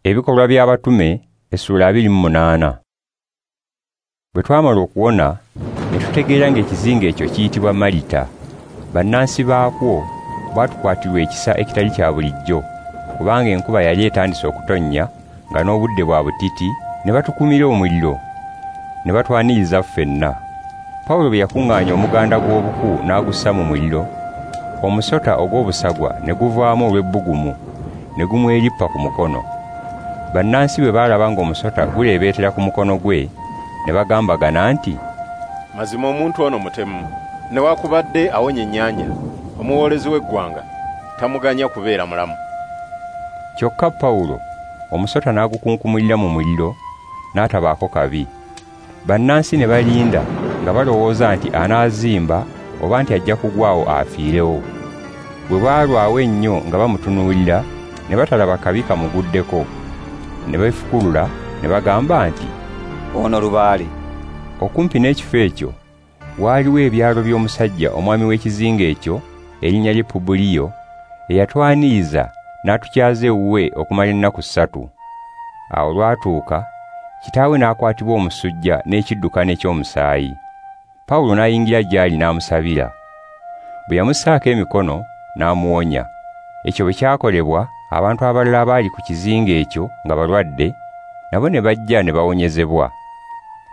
Ebikolwa by'Abatume essula 28. Bwe twamala okuwona ne tutegeera ng'ekizinga ekyo kiyitibwa Malita. Bannansi baakwo baatukwatirwa ekisa ekitali kya bulijjo, kubanga enkuba yali etandise okutonnya nga n'obudde bwa butiti, ne batukumira omuliro ne batwaniriza ffenna. Pawulo bwe yakuŋŋaanya omuganda gw'obuku n'agussa mu muliro, omusota ogw'obusagwa ne guvaamu olw'ebbugumu ne gumwerippa ku mukono. Bannansi bwe baalaba ng'omusota guleebeetera ku mukono gwe, ne bagambagana nti, "Mazima omuntu ono mutemu, newakubadde awonya ennyanja, omuwoolezi w'eggwanga tamuganya kubeera mulamu." Kyokka Pawulo omusota n'agukunkumulira mu muliro n'atabaako kabi. Bannansi ne balinda nga balowooza nti anaazimba oba nti ajja kugwawo afiirewo. Bwe baalwawo ennyo nga bamutunuulira, ne batalaba kabi kamuguddeko. Ne beefukulula ne bagamba nti, "Ono lubaale." Okumpi n'ekifo ekyo waaliwo ebyalo by'omusajja omwami w'ekizinga ekyo erinnya lye Pubuliyo, eyatwaniriza n'atukyaza ewuwe okumala ennaku 3. Awo lwatuuka kitaawe n'akwatibwa omusujja n'ekiddukano eky'omusaayi. Pawulo n'ayingira gy'ali n'amusabira. Bwe yamussaako emikono n'amuwonya. Ekyo bwe kyakolebwa, abantu abalala abaali ku kizinga ekyo nga balwadde nabo ne bajja ne bawonyezebwa,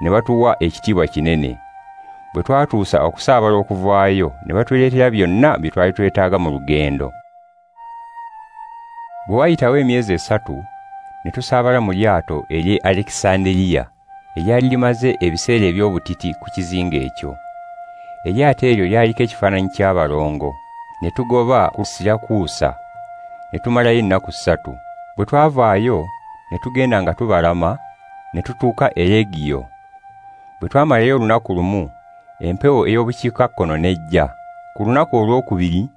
ne batuwa ekitiibwa kinene. Bwe twatuusa okusaabala okuvaayo, ne batuleetera byonna bye twali twetaaga mu lugendo. Bwe wayitawo emyezi 3, ne tusaabala mu lyato ery'e Alekisanderiya eryali limaze ebiseera eby'obutiti ku kizinga ekyo. Eryato eryo lyaliko ekifaananyi ky'abalongo, ne tugoba ku Sirakuusa, ne tumalayo ennaku 3. Bwe twavaayo ne tugenda nga tubalama, ne tutuuka e Regiyo. Bwe twamalayo olunaku lumu, empewo ey'obukiikakkono n'ejja. Ku lunaku olwokubiri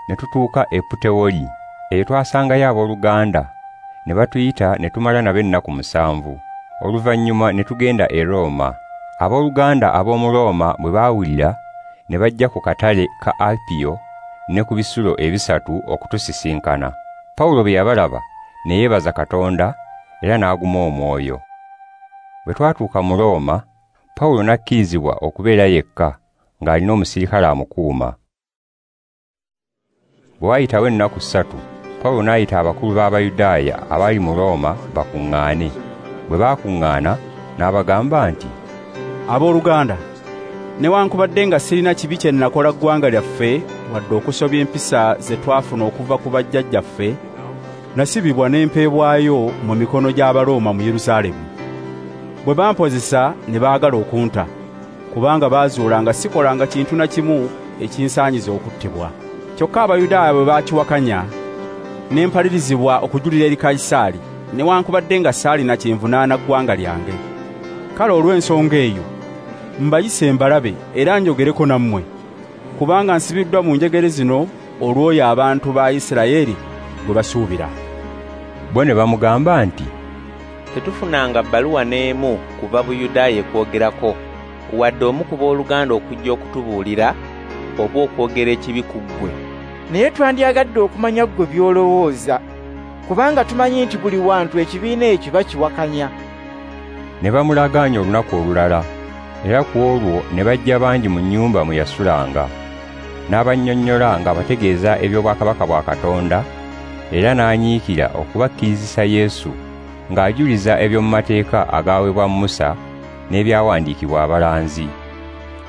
ne tutuuka e Putewoli. Eyo twasangayo abooluganda, ne batuyita ne tumala nabo ennaku 7. Oluvannyuma ne tugenda e Rooma. Abooluganda ab'omu Rooma bwe baawulira, ne bajja ku katale ka Apiyo ne ku bisulo ebisatu okutusisinkana. Pawulo bwe yabalaba ne yeebaza Katonda era n'aguma omwoyo. Bwe twatuuka mu Rooma, Pawulo n'akkirizibwa okubeera yekka ng'alina omusirikale amukuuma. Bwe wayitawo ennaku 3, Pawulo n'ayita abakulu b'Abayudaaya abaali mu Rooma bakuŋŋaane. Bwe baakuŋŋaana n'abagamba nti, "Abooluganda, newankubadde nga sirina kibi kye nakola ggwanga lyaffe wadde okusobya empisa ze twafuna okuva ku bajjajjaffe, nasibibwa ne mpeebwayo mu mikono gy'Abarooma mu Yerusaalemu. Bwe bampozesa ne baagala okunta, kubanga baazuula nga sikolanga kintu na kimu ekinsaanyiza okuttibwa. Kyokka Abayudaaya bwe baakiwakanya, ne mpalirizibwa okujulira eri Kayisaali, newankubadde nga saalina kyenvunaana ggwanga lyange. Kale olw'ensonga eyo mbayise mbalabe era njogereko nammwe, kubanga nsibiddwa mu njegere zino olw'oyo abantu ba Isirayiri gwe basuubira." Bo ne bamugamba nti, "Tetufunanga bbaluwa n'emu kuva Buyudaaya ekwogerako, wadde omu ku booluganda okujja okutubuulira oba okwogera ekibi ku ggwe. Naye twandyagadde okumanya ggwe by'olowooza, kubanga tumanyi nti buli wantu ekibiina ekyo bakiwakanya." Ne bamulagaanya olunaku olulala, era ku olwo ne bajja bangi mu nnyumba mwe yasulanga. N'abannyonnyola ng'abategeeza eby'obwakabaka bwa Katonda, era n'anyiikira okubakkirizisa Yesu ng'ajuliza eby'omu mateeka agaaweebwa Musa n'ebyawandiikibwa abalanzi.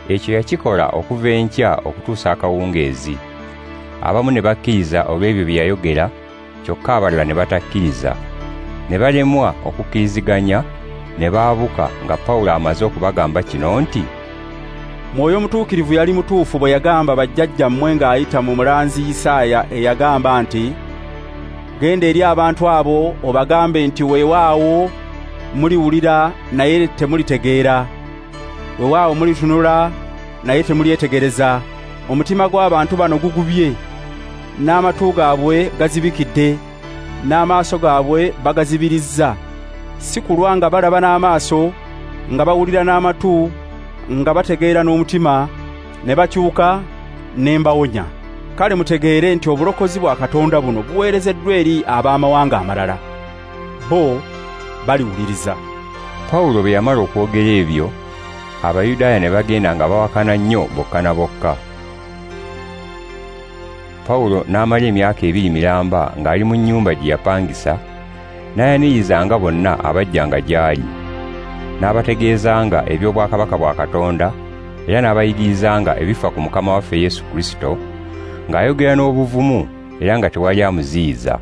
Ekyo yakikola okuva enkya okutuusa akawungeezi. Abamu ne bakkiriza olw'ebyo bye yayogera, kyokka abalala ne batakkiriza. Ne balemwa okukkiriziganya, ne baabuka nga Pawulo amaze okubagamba kino nti, "Mwoyo Mutuukirivu yali mutuufu bwe yagamba bajjajjammwe ng'ayita mu mulanzi Isaaya eyagamba nti, 'Genda eri abantu abo obagambe nti weewaawo muliwulira naye temulitegeera, weewaawo mulitunula naye temulyetegereza. Omutima gw'abantu bano gugubye, n'amatu gaabwe gazibikidde, n'amaaso gaabwe bagazibirizza. Si kulwa nga balaba n'amaaso, nga bawulira n'amatu, nga bategeera n'omutima, ne bakyuka ne mbawonya.' Kale mutegeere nti obulokozi bwa Katonda buno buweerezeddwa eri ab'amawanga amalala. Bo baliwuliriza. Pawulo bwe yamala okwogera ebyo, Abayudaaya ne bagenda nga bawakana nnyo bokka na bokka. Pawulo n'amala emyaka 2 miramba ng'ali mu nnyumba gye yapangisa, n'ayanirizanga bonna abajjanga gy'ali, n'abategeezanga eby'obwakabaka bwa Katonda, era n'abayigirizanga ebifa ku Mukama waffe Yesu Kristo, ng'ayogera n'obuvumu era nga tewali amuziyiza.